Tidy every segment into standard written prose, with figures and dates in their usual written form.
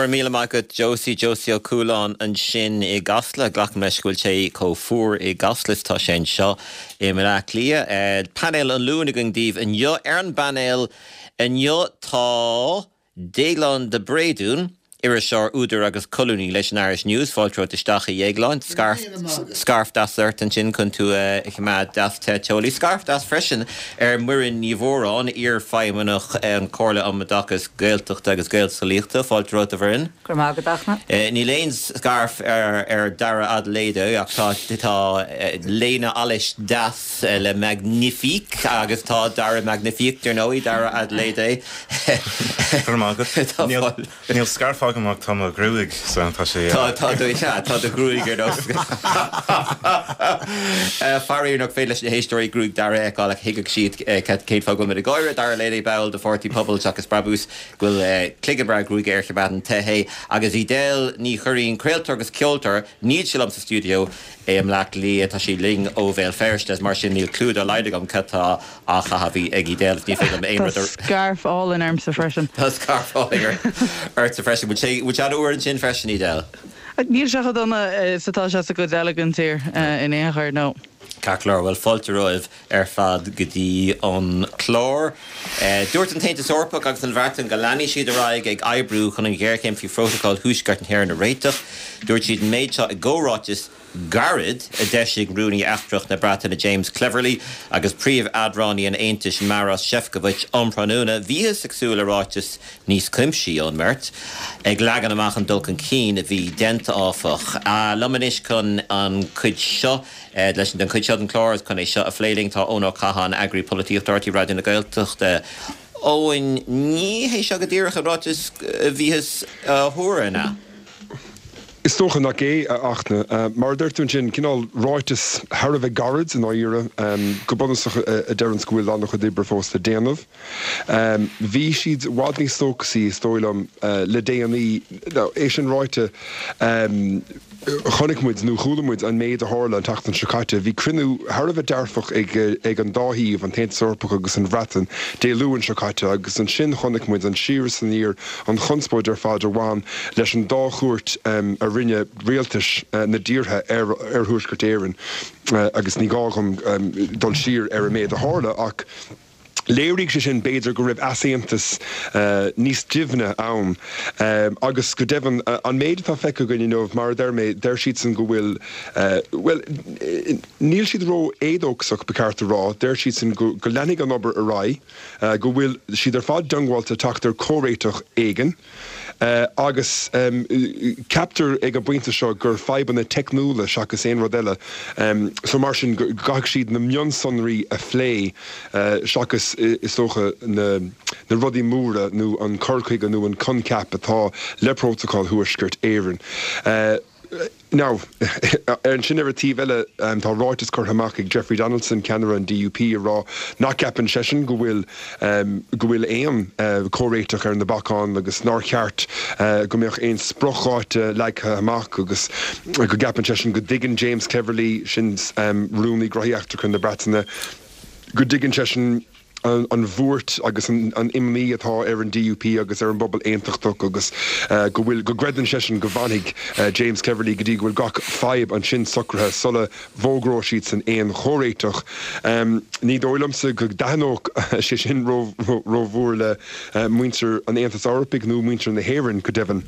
raibh míle maith agat Josie, Josie Ó Cualáin ansin i gCasla. Glacaim leis go bhfuil sé chomh fuar i gCasla is atá sé anseo i mBleá Cliath. Painéal an Luain againn daoibh inniu. Ar an bpainéal inniu tá Déaglán de Bréadún, iriseoir, údar agus colúnaí leis an Irish News. Fáilte romhat isteach a Dhéagláin. Scairf, scairf deas ort ansin chun tú a choimeád deas te teolaí. Scairf deas freisin ar Mhuireann Ní Mhóráin, iar-fheidhmeannach an Chomhairle um Oideachas Gaeltachta agus Gaelscolaíochta. Fáilte romhat a Mhuireann. Go raibh maith agat, a Fhachtna. Níl aon scairf ar Dara Adeleye ach tá tá léine allais deas le Magnifique agus tá Dara Magnifique dar ndóigh, Dara Adeleye. Go raibh maith agat. Níl scairf agam ach tá mo ghruaig so tá sé. Tá tá do sea tá do ghruaig ar nós Faraor nach féidir leis na héisteoirí gruaig Dara a fheiceáil ach thuigfeadh siad cén fáth go bhfuil muid ag gáire. Dara Adeleye ball de Pháirtí Pobal Seachas Brabús go bhfuil cloigeann breá gruaige air choimeádann te é. Agus Edel Ní Churraoin, craoltóir agus ceoltóir, níl sí liom sa stiúideo i mBleá Cliath, tá sí linn ó Bhéal Feirste is mar sin níl clue dá laghad agam cad tá á chaitheamh ag Edel is ní féidir liom aon rud a. Tá scairf álainn ormsa freisin. Tá scairf álainn ortsa freisin. Bhfuil sé an-fhuar ansin freisin, Edel? Níl sé chomh dona is atá sé sa gcuid eile den tír in aon chor, no. Ceart go leor, bhuel fáilte romhaibh ar fad go dtí an clár. Dúirt an tAontas Eorpach agus an Bhreatain go leanfaidh siad ar aghaidh ag oibriú chun an ghéarchéim faoi Phrótacal Thuaisceart na hÉireann a réiteach. Dúirt siad an méid seo i gcomhráiteas gairid a d'eisigh Rúnaí Eachtrach na Breataine James Cleverly agus Príomh-Eadránaí an Aontais Maros Sefcovic um thráthnóna. Bhíothas ag súil le ráiteas níos cuimsithí ón mbeirt, ag leagan amach an dul chun cinn a bhí déanta, áfach. Liom anois chun an chuid seo leis an chuid seo den chlár agus chun é seo a phlé linn tá Eoin Ó Catháin, Eagraí Polaitíochta RTÉ Raidió na Gaeltachta. Eoin, ní hé seo go díreach an ráiteas a bhíothas a thuar, an ea? Is dócha nach é, a Fhachtna. Mar a deir tú ansin, cineál ráiteas thar a bheith gairid i ndáiríre, go bunúsach a deireanns go bhfuil an-chuid oibre fós le déanamh. Bhí siad i bhfad níos dóchasaí, is dóigh liom, le déanaí. Now, é sin ráite, chonaic muid, nó chuala muid, an méid a tharla an tseachtain seo caite. Bhí cruinniú thar a bheith dearfach ag an dá thaobh, an tAontas Eorpach agus an Bhreatain, Dé Luain seo caite agus ansin chonaic muid an siar is aniar, an chonspóid ar fad a bhain leis an dá chuairt a rinne rialtais na dtíortha ar Thuaisceart Éireann agus ní gá dhom dul siar ar an méid a tharla ach Léirigh sé sin, b'fhéidir, go raibh easaontas níos doimhne ann agus, go deimhin, an méid atá feicthe againn inniu, mar a deir mé, deir siadsan go bhfuil, bhuel, níl siad ró-éadóchasach, ba cheart a rá, deir siadsan go leanfaidh an obair ar aghaidh, go bhfuil siad ar fad diongbháilte teacht ar chomhréiteach éigin. Agus ceaptar ag an bpointe seo gur fadhbanna teicniúla seachas aon rud eile, so mar sin go gcaithfidh siad na mionsonraí a phlé seachas, is dócha, na rudaí móra nó an cur chuige nó an coincheap atá le Prótacal Thuaisceart Éireann. Now, ansin ar an taobh eile, tá ráiteas curtha amach ag Jeffrey Donaldson, ceannaire an DUP, ag rá nach gceapann seisean go bhfuil go bhfuil aon chomhréiteach ar na bacáin agus nár cheart go mbeadh aon spriocdháta leagtha amach agus go gceapann seisean go dtuigeann James Cleverly, sin Rúnaí Gnóthaí Eachtracha na Breataine, go dtuigeann seisean an bhuairt agus an imní atá ar an DUP agus ar an bpobal aontachtach agus go bhfuil, go gcreideann seisean go bhfanfaidh James Cleverly go dtí go bhfuil gach fadhb ansin socraithe sula bhfógróidh siadsan aon chomhréiteach. Ní dóigh liomsa go dtaitneodh sé sin rómhór le muintir an Aontais Eorpaigh nó muintir na hÉireann, go deimhin.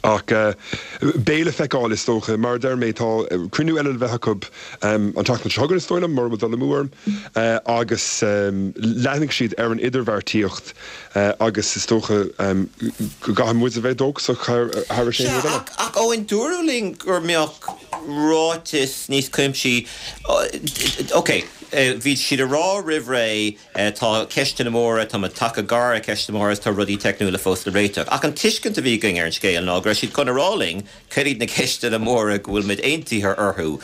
Ach beidh le feiceáil, is dócha. Mar a deir mé, tá cruinniú eile le bheith acu an tseachtain seo chugainn, is dóigh liom, mura bhfuil dul amú orm, agus leanfaidh siad ar an idirbheartaíocht agus is dócha go gcaithfidh muid a bheith dóchasach thar aon rud eile. Ach Eoin, dúradh linn go mbeadh ráiteas níos cuimsithí, ok, bhí siad ag rá roimh ré tá ceisteanna móra, tá muid tagtha gar ar cheisteanna móra agus tá rudaí teicniúla fós le réiteach. Ach an tuiscint a bhí againn ar an scéal ná go raibh siad chun a rá linn cad iad na ceisteanna móra go bhfuil muid aontaithe orthu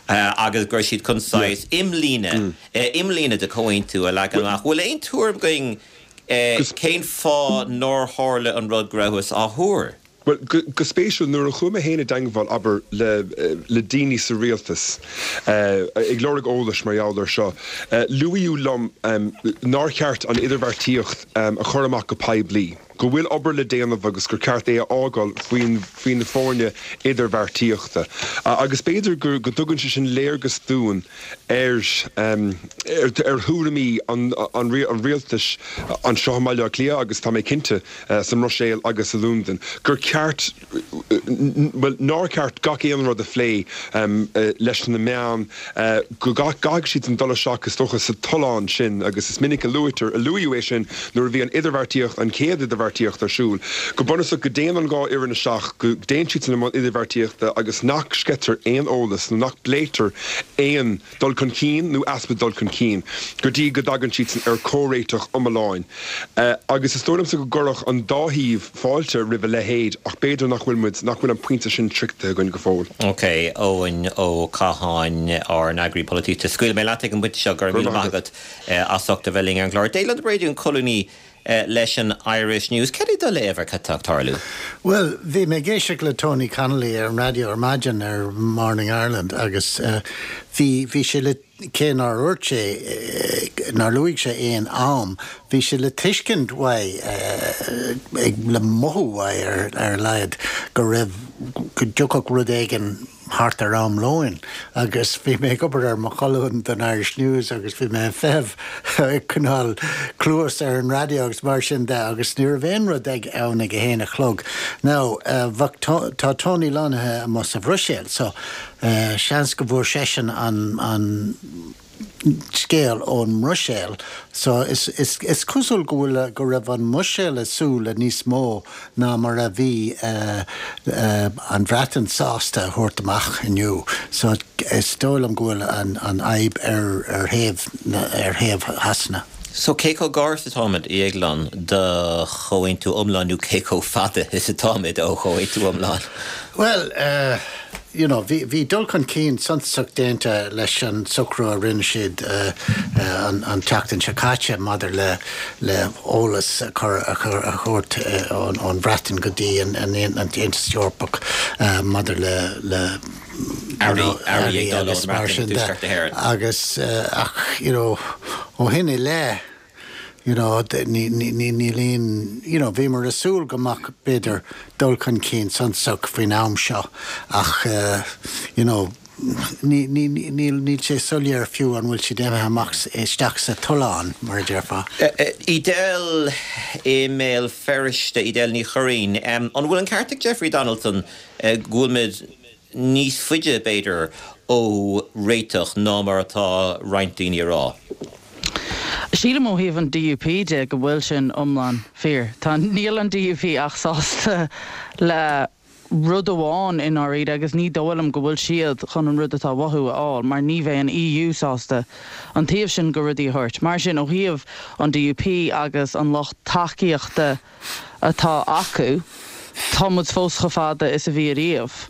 agus go raibh siad chun saghas imlíne, imlíne de chomhaontú a leagan amach. Bhfuil aon tuairim againn cén fáth nár tharla an rud go rabhthas á thuar? Bhuel, go spéisiúil, nuair a chuaigh mé féin i dteangmháil, abair, le le daoine sa rialtas, ag lorg eolais mar gheall air seo, luaíodh liom nár cheart an idirbheartaíocht a chur amach go poiblí. go bhfuil obair le déanamh agus gur ceart é a fhágáil faoin faoi na foirne idirbheartaíochta. Agus b'fhéidir go dtugann sé sin léargas dúinn ar ar thuairimí an an rialtais anseo i mBaile Átha Cliath agus tá mé cinnte sa mBruiséil agus i Londain gur ceart bhuel, nár cheart gach aon rud a phlé leis na meáin, go gcaithfidh siadsan dul isteach, is dócha, sa tollán sin, agus is minic a luaitear, a luaíodh é sin nuair a bhí an idirbheartaíocht, an chéad idirbheartaíocht ar siúl, go bunúsach go dtéann an dhá fhoireann isteach, go dtéann siadsan i mbun idirbheartaíochta agus nach sceitear aon eolas nó nach bpléitear aon dul chun cinn nó easpa dul chun cinn go dtí go dtagann siadsan ar chomhréiteach iomlán. Agus is dóigh liomsa go gcuirfeadh an dá thaobh fáilte roimh a leithéid ach b'fhéidir nach bhfuil muid, nach bhfuil an pointe sin sroichte againn go fóill. Ok, Eoin Ó Catháin, ár n-eagraí polaitíochta. Scaoilfidh mé leat ag an bpointe seo, go raibh míle maith agat as ucht a bheith linn ar an gclár. Declan de Bréadún, colúnaí leis an Irish News. Cad é do léamh ar cad tá ag tarlú? Bhuel, bhí mé ag éisteacht le Tony Connolly ar an raidió ar maidin ar Morning Ireland agus bhí, bhí sé le, cé nár dhúirt sé, nár luaigh sé aon am, bhí sé le tuiscint uaidh, ag, le mothú uaidh ar, ar a laghad go raibh, go dtiocfadh rud éigin thart ar am lóin agus bhí mé ag obair ar mo cholún don Irish News agus bhí mé ag feitheamh ag coinneáil cluas ar an raidió agus mar sin de agus ní raibh aon rud ag ann ag a haon a chlog. Now bheadh tá Tony lonnaithe amuigh sa Bhruiséil so seans go bhfuair seisean an an scéal ón mBruiséil so is is is cosúil go bhfuil go raibh an mBruiséil ag súil le níos mó ná mar a bhí an Bhreatain sásta a thabhairt amach inniu so is dóigh liom go bhfuil an an fhadhb ar ar thaobh ar thaobh Shasana. So cé chomh gar is atáimid, a Dhéagláin, do chomhaontú iomlán nó cé chomh fada is atáimid ó chomhaontú iomlán? Bhuel, eh. you know, bhí, bhí dul chun cinn suntasach déanta leis an socrú a rinne siad an, an tseachtain seo caite maidir le, le eolas a chur, a chur, a thabhairt ón, ón Bhreatain go dtí an, an, an tAontas Eorpach maidir le, le you know, earraí agus mar sin de. Agus ach, you know, ó shin i leith, you know, níl aon, you know, bhíomar ag súil go mbeadh, b'fhéidir, dul chun cinn suntasach faoin am seo ach, you know, ní, ní, níl, níl sé soiléir fiú an bhfuil siad imithe amach isteach sa tollán, mar a déarfá. Edel i mBéal Feirste, Edel Ní Churraoin, an bhfuil an ceart ag Jeffrey Donaldson go bhfuil muid níos faide, b'fhéidir, ó réiteach ná mar atá roinnt daoine a rá. Sílim ó thaobh an DUP de go bhfuil sin iomlán fíor. Tá, níl an DUP ach sásta le rud amháin i ndáiríre agus ní dóigh liom go bhfuil siad chun an rud atá uathu a fháil mar ní bheidh an EU sásta an taobh sin de rudaí a thabhairt. Mar sin ó thaobh an DUP agus an lucht tacaíochta atá acu, tá muid fós chomh fada is a bhí ariamh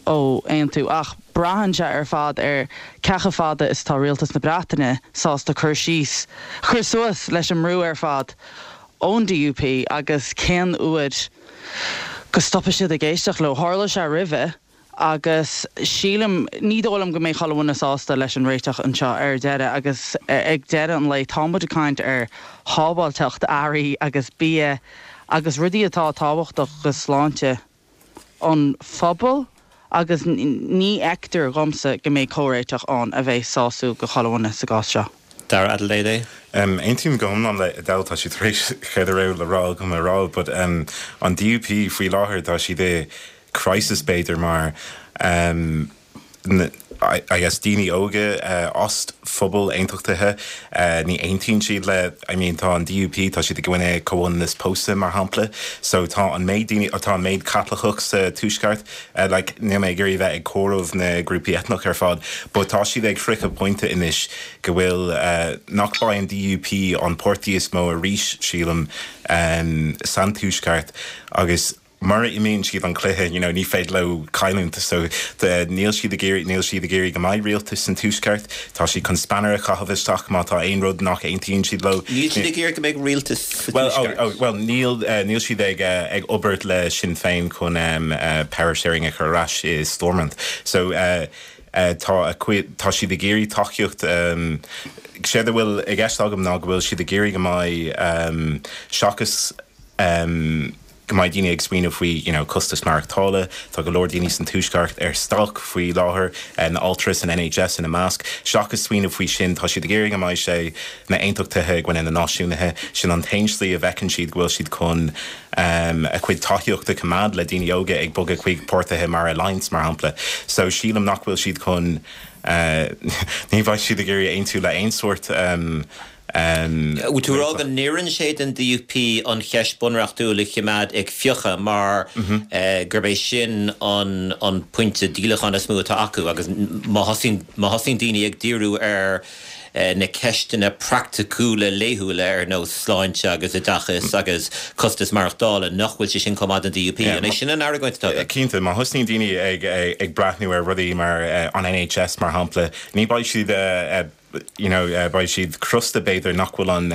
ó aontú. Ach braitheann sé ar fad ar cé chomh fada is atá Rialtas na Breataine sásta cur síos, cur suas leis an mbrú ar fad ón DUP agus cén uair go stopfaidh siad ag éisteacht leo. Tharla sé roimhe. Agus sílim, ní dóigh liom go mbeidh chuile dhuine sásta leis an réiteach anseo ar deireadh agus ag deireadh an lae tá muid ag caint ar shábháilteacht earraí agus bia agus rudaí atá tábhachtach do shláinte an phobail agus ní fheictear dhomsa go mbeidh comhréiteach ann a bheidh sásúil do chuile dhuine sa gcás seo. Dara Adeleye. Aontaím go hiomlán le Edel, tá sí tar éis céard a raibh le rá agam a rá but an DUP faoi láthair tá siad i crisis b'fhéidir mar I guess daoine óga as phobal aontachtaithe ní aontaíonn siad le I mean tá an DUP tá siad i gcoinne comhionannas pósta mar shampla so tá an méid daoine tá an méid Caitliceach sa tuaisceart like níl mé ag iarraidh bheith ag comhaireamh na grúpaí eitneach ar fad but tá siad ag sroicheadh pointe anois go bhfuil nach mbeidh an DUP an páirtí is mó arís sílim san tuaisceart agus mura imríonn siad an cluiche, you know, ní féidir leo cailliúint. So, níl siad ag iarraidh, níl siad ag iarraidh go mbeidh rialtas san Tuaisceart. Tá siad chun spanner a chaitheamh isteach má tá aon rud nach aontaíonn siad leo. Níl siad ag iarraidh go mbeidh rialtas sa Well, oh, Tuaisceart. oh, well, níl, níl siad ag, ag obair le Sinn Féin chun power sharing a chur ar ais i Stormont. So, tá a cuid, tá siad ag iarraidh tacaíocht, séard a bhfuil i gceist agam ná go bhfuil siad ag iarraidh go mbeidh, seachas. Go mbeidh daoine ag smaoineamh faoi you know costas maireachtála, tá go leor daoine san Tuaisceart ar stailc faoi láthair, na altraí san NHS ina measc. Seachas smaoineamh faoi sin, tá siad ag iarraidh go mbeidh sé na aontachtaithe i gcoinne na náisiúnaithe. Sin an t-aon slí a bhfeiceann siad go bhfuil siad chun a cuid tacaíochta a choimeád le daoine óga ag bogadh chuig páirtithe mar Alliance mar shampla. So sílim nach bhfuil siad chun ní bheidh siad ag iarraidh aontú le aon sórt Bhfuil tú ag rá go n-oireann sé don DUP an cheist bunreachtúil a choimeád ag fiuchadh mar gurb é sin an pointe díolacháin is mó atá acu agus má thosaíonn daoine ag díriú ar na ceisteanna praiticiúla laethúla ar nós sláinte agus oideachas agus costas maireachtála, nach bhfuil sé sin chomh maith don DUP? An é sin an argóint atá agat? Cinnte, má thosnaíonn daoine ag breathnú ar rudaí mar an NHS mar shampla, ní bheidh siad you know beidh siad crosta b'fhéidir nach bhfuil an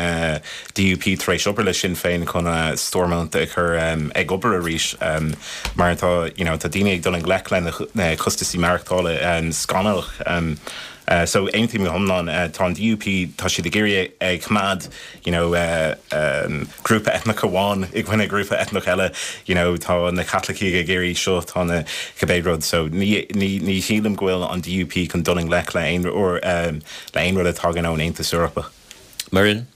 DUP tar éis obair le Sinn Féin chun Stormont a chur ag obair arís mar tá you know tá daoine ag dul i ngleic le na costasaí maireachtála scannalach so aontaím go hiomlán tá an DUP tá siad ag iarraidh ag coimeád you know grúpa eitneach amháin i gcoinne grúpa eitneach eile, you know tá na Caitlicigh ag iarraidh seo, tá na cibé rud. So ní, ní, ní shílim go bhfuil an DUP chun dul i ngleic le aon, le aon rud a thagann ón Aontas Eorpach. Muireann?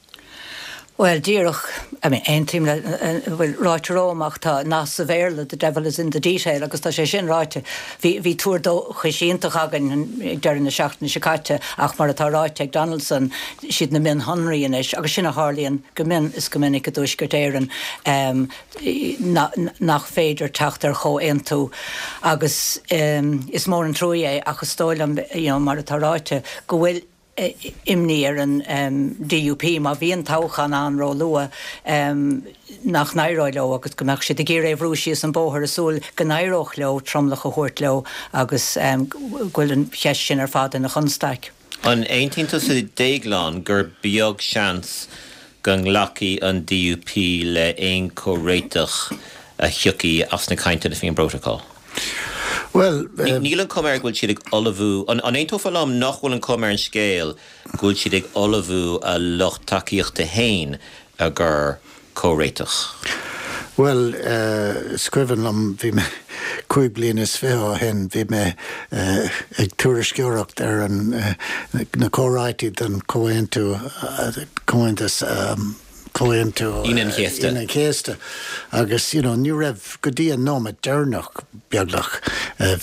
Bhuel, díreach, I mean, aontaím le, bhuel, ráite romham ach tá nath sa Bhéarla, the devil is in the detail, agus tá sé sin ráite. Bhí, bhí tuar dóchais iontach againn ag deireadh na seachtaine seo caite ach mar atá ráite ag Donaldson, siad na mionshonraí anois, agus sin a tharlaíonn go mion is go minic i dTuaisceart Éireann, nach féidir teacht ar chomhaontú. Agus is mór an truaí é, ach is dóigh liom, you know, mar atá ráite, go bhfuil imní ar an DUP má bhíonn toghchán ann róluath, nach n-éireoidh leo agus go mbeadh siad ag iarraidh é a bhrú síos an bóthar i súil go n-éireodh leo tromlach a thabhairt leo agus go bhfuil an cheist sin ar fad ina chonstaic. An aontaíonn tusa a Dhéagláin gur beag seans go nglacfaidh an DUP le haon chomhréiteach a thiocfaidh as na cainteanna faoin bprótacal? Bhuel. Níl an chuma air go bhfuil siad ag ullmhú, an aontófá liom nach bhfuil an chuma ar an scéal go bhfuil siad ag ullmhú a lucht tacaíochta féin i gcomhair comhréiteach? Bhuel, is cuimhin liom, bhí mé, 25 bliana ó shin, bhí mé ag tuairisceoireacht ar an, na comhráití don chomhaontú, comhaontas, Comhaontú Aoine an Chéasta. Aoine an Chéasta agus you know ní raibh, go dtí an nóiméad deireanach beagnach,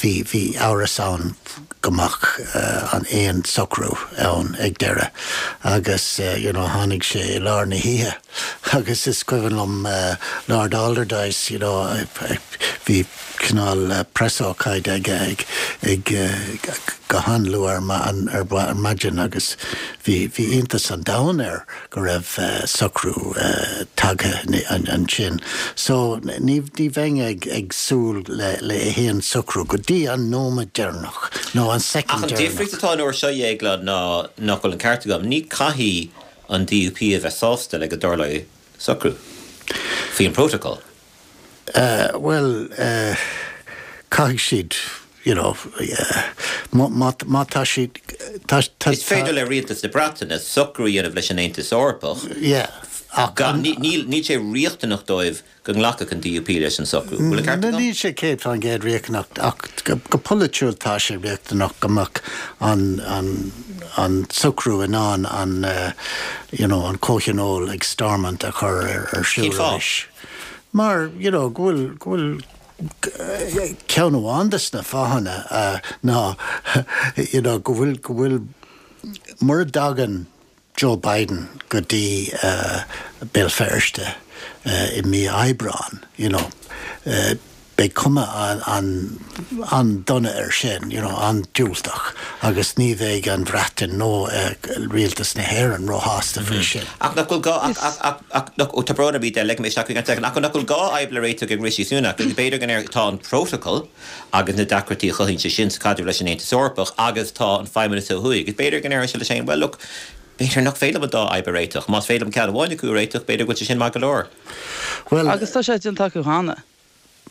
bhí, bhí amhras ann go mbeadh an aon socrú ann ag deireadh agus you know tháinig sé i lár na hoíche agus is cuimhin liom Lord Alderdice you know bhí cineál preasócáid aige ag ag go han-luath ar ar maidin agus bhí bhí iontas an domhain air go raibh socrú tagtha ansin. So ní ní bheinn ag ag súil le le haon socrú go dtí an nóiméad deireanach nó an soicind deireanach. Ach an difríocht atá an uair seo, a Dhéagláin, ná nach bhfuil an ceart agam, ní caithfidh an DUP a bheith sásta le go dtarlóidh socrú faoin bprótacal. Bhuel, caithfidh siad, you know, má, má tá siad, tá, tá. Is féidir le Rialtas na Breataine socrú a dhéanamh leis an Aontas Eorpach. Yeah, ach an. Níl, níl sé riachtanach dóibh go nglacfadh an DUP leis an socrú. Bhfuil an ceart agam? Níl sé 100% riachtanach ach go polaitiúil tá sé riachtanach go mbeadh an, an, an socrú in ann an, you know, an comhthionól ag Stormont a chur ar, ar siúl Cén fáth? arís. Mar, you know, go bhfuil, go bhfuil ceann amháin de na fáthanna ná, you know, go bhfuil, go bhfuil, mura dtagann Joe Biden go dtí Béal Feirste i mí Aibreáin, you know, beidh cuma an-dona air sin, you know, an-diúltach agus ní bheidh an Bhreatain nó rialtas na hÉireann róshásta faoi sin. Ach nach bhfuil gá, ach, ach, ach, ach, nach, ó tá brón orm iad a ligfidh mé isteach chuig an soicind, ach nach bhfuil gá fhadhb le réiteach ag Rishi Sunak, agus b'fhéidir go ndéarfadh, tá an prótacal agus na deacrachtaí a chothaíonn sé sin sa chaidreamh leis an Aontas Eorpach agus tá an Feidhmeannas ó thuaidh, agus b'fhéidir go ndéarfadh sé leis féin, well look, b'fhéidir nach féidir liom an dá fhadhb a réiteach, más féidir liom ceann amháin acu a réiteach, b'fhéidir go bhfuil sé sin maith go leor. Bhuel. Agus tá sé déanta acu cheana.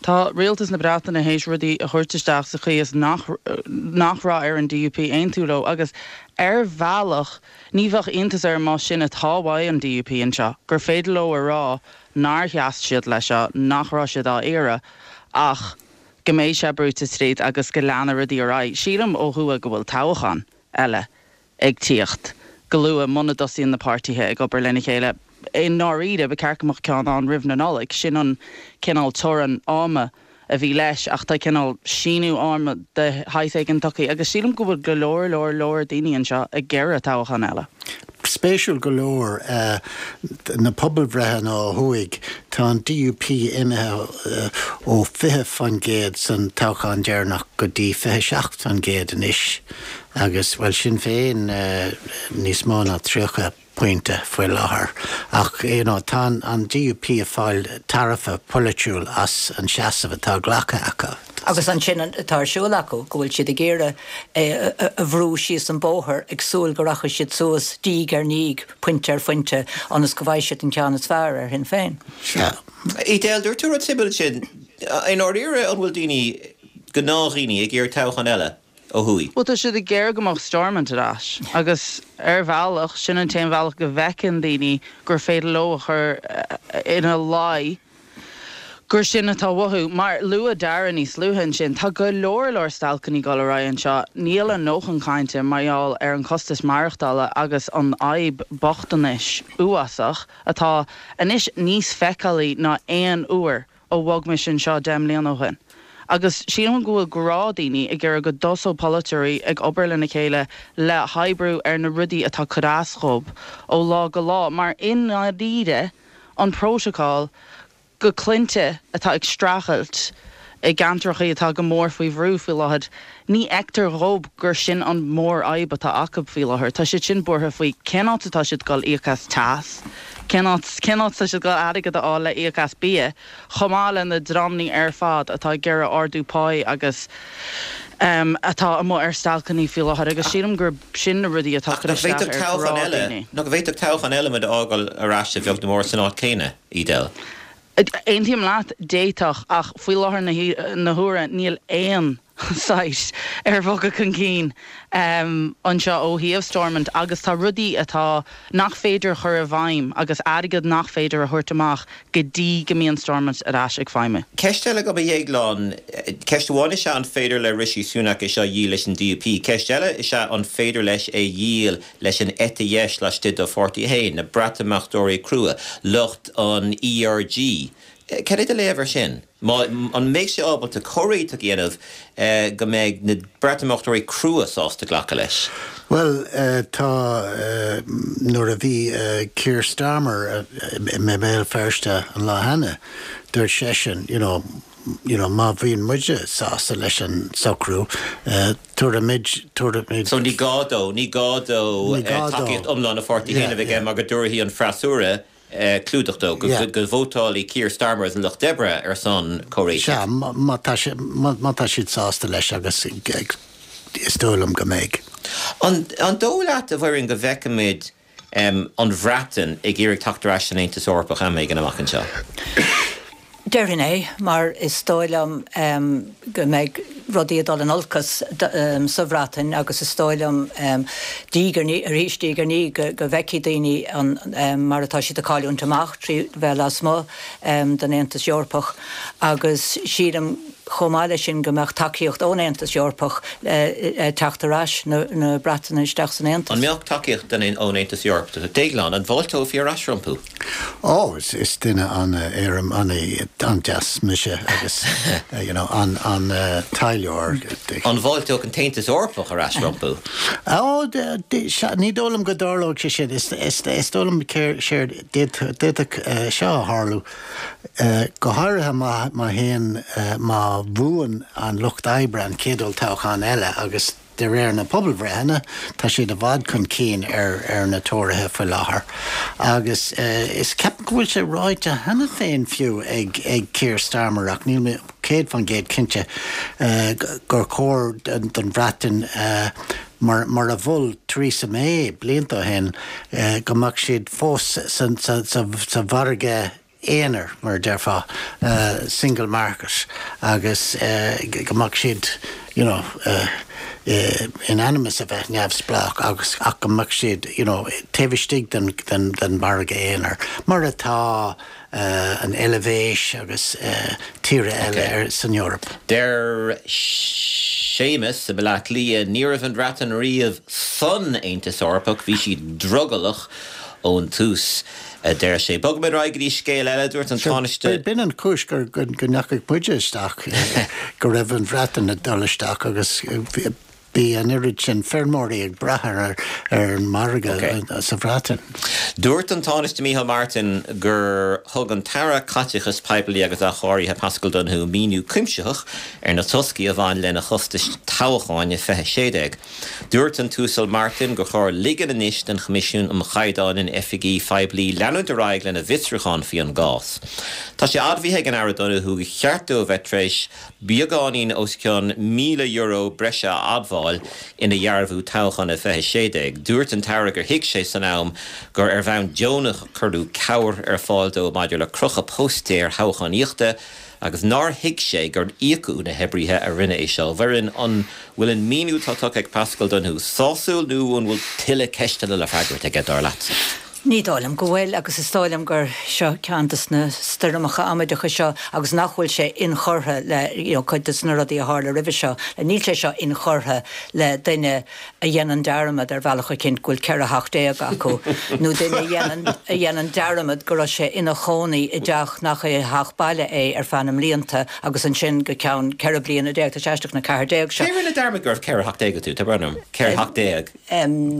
Tá rialtas na Breataine théis rudaí a thabhairt isteach sa chaoi is nach nach raibh ar an DUP aontú leo agus ar bhealach ní bheadh iontas orm más sin atá uaidh an DUP anseo, gur féidir leo a rá nár sheas siad leis seo, nach raibh siad á iarraidh ach go mbeidh sé brúite tríd agus go leanfaidh rudaí ar aghaidh. Sílim ó thuaidh go bhfuil toghchán eile ag tíocht go luath muna dtosaíonn na páirtithe ag obair lena chéile. I ndáiríre, ba cheart go mbeadh ceann ann roimh na Nollaig. Sin an cineál teorainn ama a bhí leis ach tá cineál síneadh ama de shaghas éigin tugtha agus sílim go bhfuil go leor, leor, leor daoine anseo ag iarraidh toghchán eile. Spéisiúil go leor, na pobalbhreitheanna ó thuaidh, tá an DUP imithe ó 20% san toghchán deireanach go dtí 27% anois agus, bhuel, Sinn Féin níos mó ná 30 pointe faoi láthair. Ach, you know, tá an DUP ag fáil tairbhe polaitiúil as an seasamh atá glactha acu. Agus ansin atá ar siúl acu, go bhfuil siad ag iarraidh é a bhrú síos an bóthar ag súil go rachaidh siad suas diaidh ar ndiaidh, pointe ar phointe, ionas go bhfaighidh siad an ceann is fearr ar Shinn Féin. Sea. Edel, dúirt tú rud suimiúil ansin. I ndáiríre, an bhfuil daoine, gnáthdhaoine, ag iarraidh toghchán eile ó thuaidh? Bhuel, tá siad ag iarraidh go mbeadh Stormont ar ais agus ar bhealach, sin an t-aon bhealach go bhfeiceann daoine gur féidir leo a chur ina luí gur sin atá uathu. Mar luaigh Dara níos luaithe ansin, tá go leor leor stailceanna ag dul ar aghaidh anseo. Níl a ndóthain cainte mar gheall ar an costas maireachtála agus an fhadhb bochtanais uafásach atá anois níos feiceálaí ná aon uair ó bhog mise anseo 10 mbliana ó shin. Agus sílim go bhfuil gnáthdhaoine ag iarraidh go dtosódh polaiteoirí ag obair lena chéile le hoibriú ar na rudaí atá ag cur as dhóibh ó lá go lá mar i ndáiríre an prótacal go clainne atá ag streachailt i gceantracha atá go mór faoi bhrú faoi láthair, ní fheictear dhób gur sin an mhórfhadhb atá acu faoi láthair. Tá siad sin buartha faoi cén áit atá siad ag dul íoc as teas, cén áit, cén áit atá siad ag dul airgead a fháil le íoc as bia, chomh maith le na dreamanna ar fad atá ag iarraidh ardú páí agus atá amuigh ar stailceanna faoi láthair agus sílim gur sin na rudaí atá ag cur isteach ar ghnáthdhaoine. Nach bhféadfadh toghchán eile muid a fhágáil ar ais a bheag nó mór san áit chéanna, Edel? Aontaím leat, d'fhéadfadh, ach faoi láthair na huaire níl aon saghas ar bhogadh chun cinn anseo ó thaobh Stormont agus tá rudaí atá nach féidir a chur i bhfeidhm agus airgead nach féidir a thabhairt amach go dtí go mbíonn Stormont ar ais ag feidhmiú. Ceist eile agam a Dhéagláin. Ceist amháin is ea an féidir le Rishi Sunak é seo a dhíol leis an DUP. Ceist eile is ea an féidir leis é a dhíol leis an eite dheis laistigh dá pháirtí féin, na Breatimeachtóirí crua, lucht an ERG. Cad é do léamh air sin? Má, an mbeidh sé ábalta comhréiteach a dhéanamh go mbeidh na Breatimeachtóirí crua sásta glacadh leis? Bhuel, tá, nuair a bhí Keir Starmer i mBéal Feirste an lá cheana, dúirt seisean, you know, you know, má bhíonn muide sásta leis an socrú, tabharfaimid, tabharfaimid. So ní gá dó, ní gá dó tacaíocht iomlán a pháirtí féin a bheith aige mar go dtabharfaidh an freasúra clúdach dó, go vótálfaidh Keir Starmer agus an Lucht Oibre ar son comhréitigh. Sea, má tá sé, má tá siad sásta leis agus is dóigh liom go mbeidh. An dóigh leat, a Mhuireann, go bhfeicfimid an Bhreatain ag iarraidh teacht ar ais san Aontas Eorpach am éigin amach anseo? Déarfainn é, mar is dóigh liom go mbeidh rudaí ag dul in olcas sa Bhreatain agus is dóigh liom diaidh ar ndiaidh, arís diaidh ar ndiaidh, go bhfeicfidh daoine an mar atá siad ag cailliúint amach trí bheith lasmuigh den Aontas Eorpach agus sílim chomh maith leis sin go mbeadh tacaíocht ón Aontas Eorpach le teacht ar ais na Breataine isteach san Aontas. An mbeadh tacaíocht ón Aontas Eorpach? Déaglán, an bhfáilteofaí ar ais rompu? Ó, is duine an-éirim, an-deas mise agus, you know, an-taidhleoir. An bhfáilteodh an tAontas Eorpach ar ais rompu? Ó, ní dóigh liom go dtarlódh sé sin. Is dóigh liom séard, d'fhéadfadh seo a tharlú, go háirithe má théann, má bhuann an Lucht Oibre an chéad olltoghchán eile agus, De réir na pobalbhreitheanna, tá siad i bhfad chun cinn ar na Tóraithe faoi láthair agus is ceapaim go bhfuil sé ráite cheana féin fiú ag Keir Starmer, ach níl mé 100% cinnte, gur chóir don Bhreatain, mar a mhol Theresa May blianta ó shin, go mbeadh siad fós sa mhargadh. aonair, mar a déarfá, single market, agus go mbeadh siad, you know, in ainm is a bheith neamhspleách agus ach go mbeadh siad, you know, taobh istigh den, den, den mhargadh aonair, mar atá an Eilvéis agus tíortha eile ar, san Eoraip. Deir Séamus i mBaile Átha Cliath, Ní raibh an Bhreatain riamh san Aontas Eorpach, bhí siad drogallach ón tús. a deir sé. Bogfaimid ar aghaidh go dtí scéal eile, dúirt an Tánaiste. B'in an chúis go ndeachaigh muide isteach, go raibh an Bhreatain ag dul isteach agus bhí an oiread sin feirmeoirí ag brath ar an margadh sa Bhreatain. Dúirt an Tánaiste Micheál Martin gur thug an tAire Caiteachais Poiblí agus Athchóirithe Paschal Donohoe míniú cuimsitheach ar na toscaí a bhain lena chostais toghcháin i 2016. Dúirt an tUasal Martin gur chóir ligean anois don Choimisiún um Chaighdeáin in Oifigí Phoiblí leanúint ar aghaidh lena bhfiosrúchán faoi an gcás. Tá sé admhaithe ag an Aire Donohoe gur cheart dó a bheith tar éis beagáinín os cionn €1,000 breise a admháil ina dhearbhú toghcháin i 2016. Dúirt an tAire gur thuig sé san am gur ar bhonn deonach a cuireadh cabhair ar fáil dó maidir le crochadh póstaeir thoghchánaíochta agus nár thuig sé gur íocadh na hoibrithe a rinne é seo. A Mhuireann, an bhfuil an míniú atá tugtha ag Paschal Donohoe sásúil nó an bhfuil tuilleadh ceisteanna le freagairt aige, dar leatsa? Ní dóigh liom go bhfuil, agus is dóigh liom gur seo ceann de na stoirmeacha amaideacha seo agus nach bhfuil sé inchurtha le you know cuid de na rudaí a tharla roimhe seo. Níl sé seo inchurtha le duine a dhéanann dearmad ar bhealach eicínt go bhfuil 14 theach acu, nó duine a dhéanann, a dhéanann dearmad go raibh sé ina chónaí i dteach nach é a theach baile é ar feadh na mblianta agus ansin go ceann 14 bliana, tá sé aisteach na 14 seo. Cé a rinne dearmad go raibh 14 theach acu? Tá brón orm. 14 theach.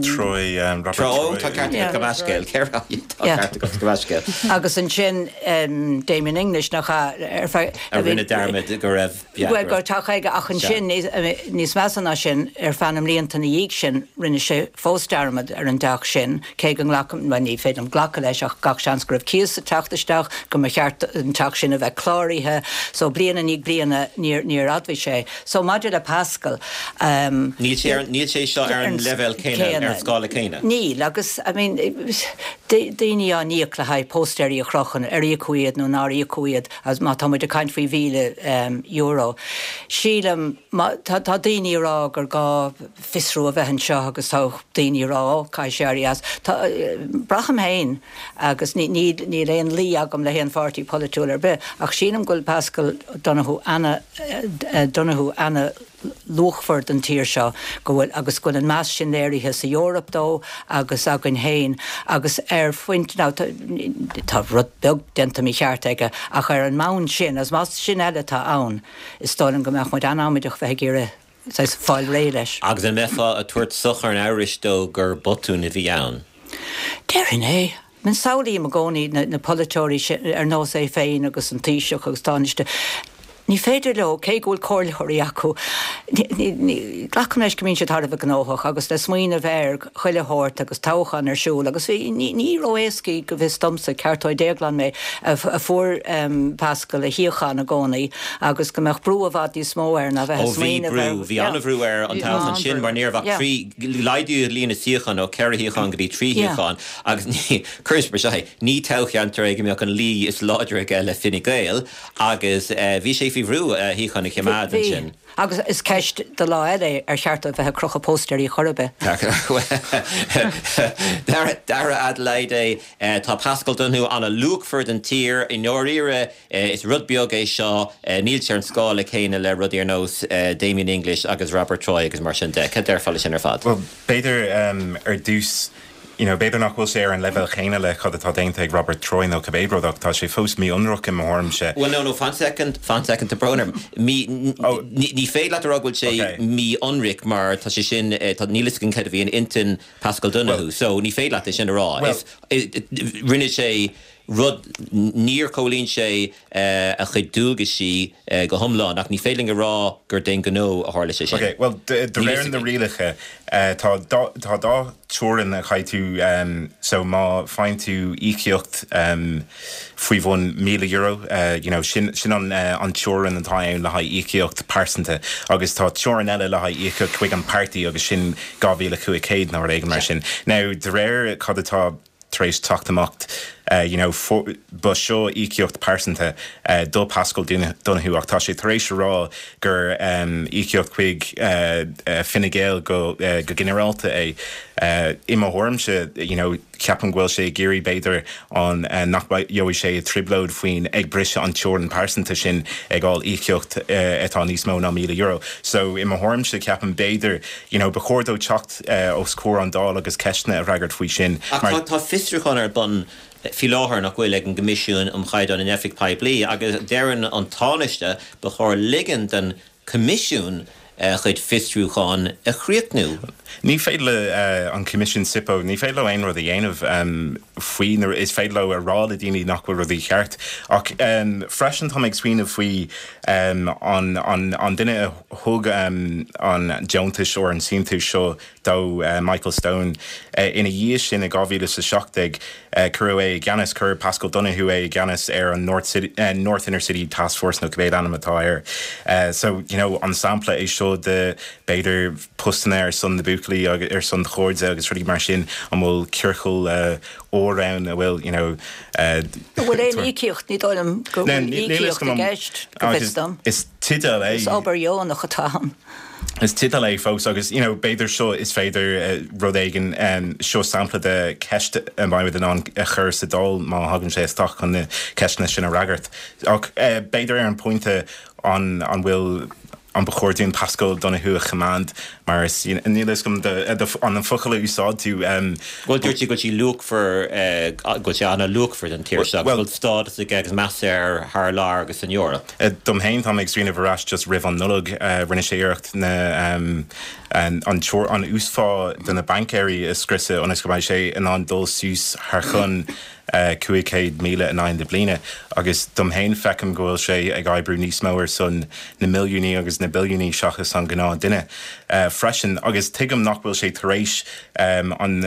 Troy, Robert Troy. Ó, tá ceart agat, gabh mo leithscéal. 4 tá ceart agat, gabh mo leithscéal. Agus ansin Damien English, nach ea, ar feadh. A rinne dearmad go raibh. Bhuel, go raibh teach aige, ach ansin, níos measa ná sin, ar feadh na mblianta ina dhiaidh sin, rinne sé fós dearmad ar an dteach sin, cé go nglacaim, bhuel, ní féidir liom glacadh leis, ach gach seans go raibh cíos ag teacht isteach, go mba cheart an teach sin a bheith cláraithe. So, bliain i ndiaidh bliana, níor, níor admhaigh sé. So, maidir le Paschal, ehm. Níl sé ar, níl sé seo ar an leibhéal céanna, ar an scála céanna. Níl, agus, I mean, daoine á n-íoc le haghaidh póstaeirí a chrochadh, ar íocadh iad nó nár íocadh iad, Agus má tá muid ag caint faoi €1,000, sílim, má, tá, tá daoine ag rá gur gá fiosrú a bheith anseo agus tá daoine ag rá, ó, caithfidh sé éirí as. Tá, braithim féin, agus ní, ní, níl aon luí agam le haon pháirtí polaitiúil ar bith, ach sílim go bhfuil Paschal Donohoe ana, Donohoe ana, luachmhar don tír seo, go bhfuil, agus go bhfuil an meas sin léirithe sa Eoraip dó agus againn féin agus ar phointe, now tá, tá rud beag déanta mícheart aige ach ar an mbonn sin, agus más sin eile atá ann, is dóigh liom go mbeadh muid an-amaideach bheith ag iarraidh saghas fáil réidh leis. Agus an mbeifeá ag tabhairt sochar an amhrais dó gur botún a bhí ann? Déarfainn é. I mean samhlaím i gcónaí na polaiteoirí sin ar nós é féin agus an Taoiseach agus Tánaiste, ní féidir leo, cé go bhfuil comhairleoirí acu, glacaim leis go mbíonn siad thar a bheith gnóthach agus le smaoineamh ar chuile shórt agus toghchán ar siúl agus bhí, ní ró-éascaí go bhfios domsa, ceartóidh Déaglán mé, a fuair Paschal a shuíochán i gcónaí agus go mbeadh brú i bhfad níos mó air ná bheith ag smaoineamh ar. Ó bhí brú, bhí an-bhrú air an toghchán sin mar ní raibh ach trí, laghdaíodh líon na suíochán ó cheithre shuíochán go dtí trí shuíochán. Agus ní, cuirimis mar seo é, ní toghcheantar é go mbeadh an luí is láidre aige le Fine Gael agus bhí sé faoi bhrú a shuíochán a choimeád ansin. Bhí. Agus is ceist do lá eile é ar cheart dó bheith ag crochadh póstaeirí chor ar bith. Dara Adelaide, tá Paschal Donohoe an-luachmhar don tír. I ndáiríre, is rud beag é seo, níl sé ar an scála céanna le rudaí ar nós Damien English agus Robert Troy agus mar sin de. Cad déarfá leis sin ar fad? Bhuel, b'fhéidir ar dtús, you know, b'fhéidir nach bhfuil sé ar an leibhéal chéanna le cad atá déanta ag Robert Troy nó cibé rud ach tá sé fós mí-ionraic i mo thuairimse. Well no, no, fan soicind, fan soicind, tá brón orm. Mí, ní, ní féidir leat a rá go bhfuil sé okay. mí-ionraic mar tá sé sin, tá, níl fhios againn cad a bhí in intinn Paschal Donohoe, so ní féidir leat é sin a rá. Well, Is, rinne sé rud, níor chomhlíon sé a chuid dualgaisí go hiomlán, ach ní féidir linn a rá gur d'aon ghnó a tharla sé sin. Ok, bhuel, de réir na rialacha, tá tá dá teorainn a chaithfidh tú, so má faigheann tú íocaíocht faoi bhun €1,000, you know, sin sin an an teorainn atá ann le haghaidh íocaíocht pearsanta, agus tá teorainn eile le haghaidh íocaíocht chuig an páirtí agus sin 2,500 nó rud éigin mar sin. Now, de réir cad atá tar éis teacht amach. You know, ba seo íocaíocht pearsanta do Paschal Donohoe ach tá sé tar éis a rá gur íocaíocht chuig Fine Gael go ginearálta é. I mo thuairimse, you know, ceapaim go bhfuil sé ag iarraidh b'fhéidir an nach gheobhaidh sé i dtrioblóid faoin ag briseadh an teorainn pearsanta sin ag fháil íocaíocht atá níos mó ná €1,000. So i mo thuairimse ceapaim b'fhéidir, you know, ba chóir dó teacht os comhair an Dáil agus ceisteanna a fhreagairt faoi sin Ach mar. tá fiosrúchán ar bun faoi láthair, nach bhfuil, ag an gCoimisiún um Chaighdeáin in Oifig Poiblí agus deireann an Tánaiste ba chóir ligean don Coimisiún a chuid fiosrúchán a chríochnú. Ní féidir le an Coimisiún SIPO, ní féidir leo aon rud a dhéanamh faoi, nó is féidir leo a rá le daoine nach bhfuil rudaí ceart. Ach freisin tá mé ag smaoineamh faoi an an duine a thug an deontais or an síntiús seo dó, Michael Stone. Ina dhiaidh sin i 2017 cuireadh é i gceannas, chuir Paschal Donohoe é i gceannas ar an North City, North Inner City Task Force nó cibé ainm atá air. So, you know, an sampla é seo de b'fhéidir postanna ar son na buachaillí agus ar son chairde agus rudaí mar sin, an bhfuil ciorcal óir ann a bhfuil, you know, An bhfuil aon íocaíocht? Ní dóigh liom go bhfuil íocaíocht i gceist, go bhfios dom. Is teideal é. Is obair dheonach atá ann. Is teideal é fós agus, you know, b'fhéidir seo is féidir rud éigin, seo sampla de cheist a mbeidh muid in ann a chur sa Dáil má thagann sé isteach chun na ceisteanna sin a fhreagairt. Ach b'fhéidir ar an bpointe an an bhfuil, an ba chóir dúinn Paschal Donohoe a choimeád mar is, you know, níl a fhios agam an focal a úsáid tú. Bhuel, dúirt tú go bhfuil sé luachmhar, go bhfuil sé an-luachmhar don tír seo agus go bhfuil stádas aige agus meas air thar lear agus san Eoraip. Dom féin, tá mé ag smaoineamh ar ais just roimh an Nollaig, rinne sé iarracht na an an uasphá do na baincéirí a scriosadh ionas go mbeidh sé in ann dul suas thar chionn 500,000 in aghaidh na bliana. Agus dom féin, feicim go bhfuil sé ag oibriú níos mó ar son na milliúnaí agus na billiúnaí seachas an gnáth duine freisin. Agus tuigim nach bhfuil sé tar éis an.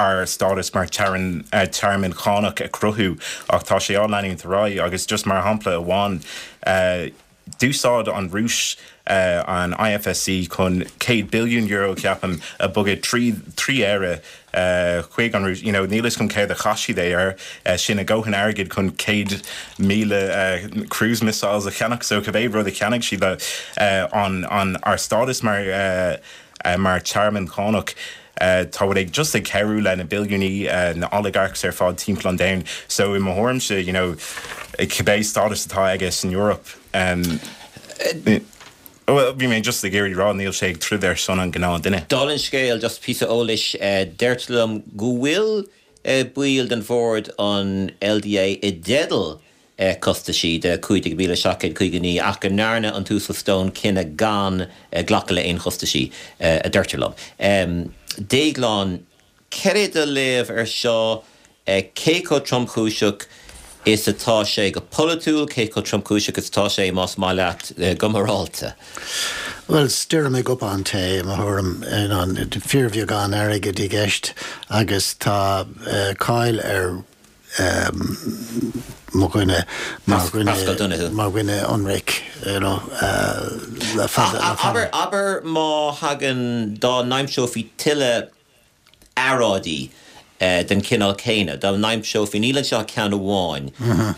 ár stádas mar tearmann cánach a chruthú ach tá sé á leanúint ar aghaidh agus just mar shampla amháin d'úsáid an Rúis an IFSC chun €100 billiún ceapaim a bogadh trí trí Éire chuig an Rúis you know níl fhios agam céard a chaith siad é air sin a dhóthain airgid chun 100,000 cruise missiles a cheannach so cibé rud a cheannaigh siad le an an ár stádas mar mar tearmann cánach. Tá muid ag just ag cabhrú le na billiúnaí, na oligarchs ar fad timpeall an domhain. So i mo thuairimse, you know, cibé stádas atá aige san Eoraip, bhuel, bhí mé just ag iarraidh rá, níl sé ag troid ar son an gnáth duine. Dála an scéil, just píosa eolais, deirtear liom go bhfuil baill den bhord an LDA i dteideal costaisí de 15,759 ach go ndearna an tUasal Stone cinneadh gan glacadh le aon chostaisí, a deirtear liom. Déaglán, cad é do léamh ar seo? Cé chomh tromchúiseach is atá sé go polaitiúil? Cé chomh tromchúiseach is atá sé, más maith leat, go morálta? Bhuel, stoirm i gcupán tae, i mo thuairim. Fíorbheagán airgid i gceist agus tá cáil ar mo dhuine mar dhuine Paschal Donohoe. mar dhuine ionraic you know le fada le fada. Abair abair má thagann dá n-aimseofaí tuilleadh earráidí den chineál céanna, dá n-aimseofaí, níl anseo ach ceann amháin,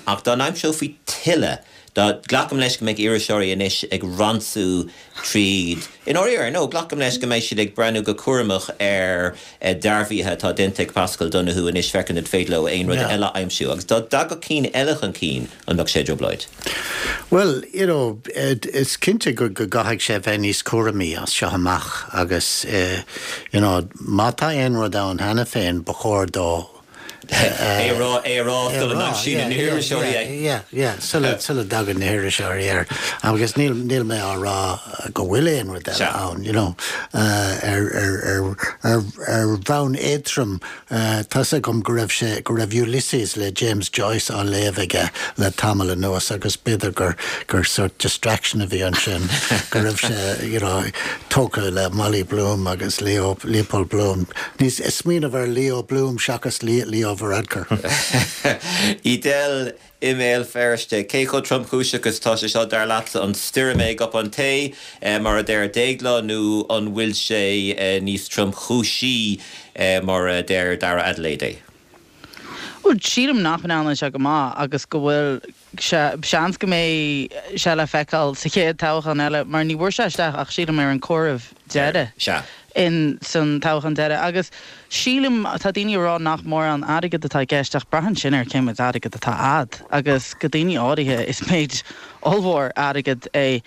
ach dá n-aimseofaí tuilleadh, dá, glacaim leis go mbeidh iriseoirí anois ag ransú tríd. I ndáiríre, no, glacaim leis go mbeidh siad ag breathnú go cúramach ar dearbhuithe atá déanta ag Paschal Donohoe anois féachaint an féidir leo aon rud eile a aimsiú. Agus dá dtagadh cinn eile chun cinn, an mbeadh sé i dtrioblóid? Bhuel, you know, is cinnte go gcaithfidh sé bheith níos cúramaí as seo amach agus, you know, má tá aon rud ann cheana féin, ba chóir dó É a rá, é a rá sula n-aimsíonn na hiriseoirí é. Yeah, yeah, sula, sula dtagann na hiriseoirí air. Agus níl, níl mé á rá go bhfuil aon rud eile ann, you know, ar, ar, ar, ar, ar bhonn éadtrom, tá's agam go raibh sé, go raibh Ulysses le James Joyce á léamh aige le tamall anuas agus b'fhéidir gur, gur sort distraction a bhí ansin, go raibh sé, you know, tógtha le Molly Bloom agus Leo, Leopold Bloom. Níos smaoineamh ar Leo Bloom seachas Leo Varadkar. Edel i mBéal Feirste, cé chomh tromchúiseach is atá sé seo, dar leatsa? An stoirm é i gcupán tae, mar a deir Déaglán, nó an bhfuil sé níos tromchúisí, mar a deir Dara Adelaide é? Bhuel, sílim nach ndearna sé go maith agus go bhfuil sé, seans go mbeidh sé le feiceáil sa chéad toghchán eile mar ní bhfuair sé isteach ach sílim ar an comhaireamh deiridh Sea. in san toghchán deiridh agus sílim, tá daoine ag rá nach mórán airgead atá i gceist ach braitheann sin ar cé méid airgead atá a'd agus go daoine áirithe is méid ollmhór airgead é.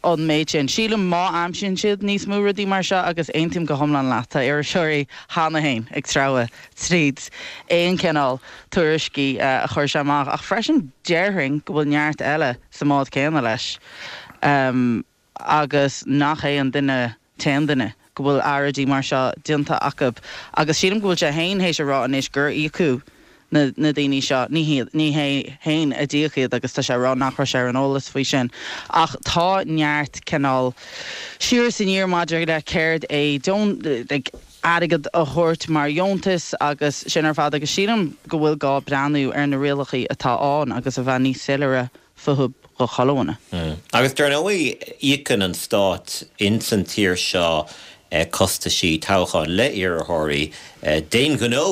an méid sin. Sílim má aimsíonn siad níos mó rudaí mar seo, agus aontaím go hiomlán leat, tá iriseoirí cheana féin ag treabhadh tríd aon chineál tuairiscí a chuir sé amach, ach freisin déarfainn go bhfuil neart eile sa mbád céanna leis agus nach é an duine t-aon duine go bhfuil earráidí mar seo déanta acu agus sílim go bhfuil sé féin théis a rá anois gur íocadh na na daoine seo, ní hiad, ní hé féin a d'íoc iad agus tá sé ag rá nach raibh sé ar an eolas faoi sin. Ach tá neart cineál siar is aniar maidir le céard é deon, like, airgead a thabhairt mar dheontas agus sin ar fad agus sílim go bhfuil gá breathnú ar na rialacha atá ann agus a bheith níos soiléire fúthu do chuile dhuine. Agus dar ndóigh, íocann an stát ins an tír seo costaisí toghcháin le iarrthóirí d'aon ghnó,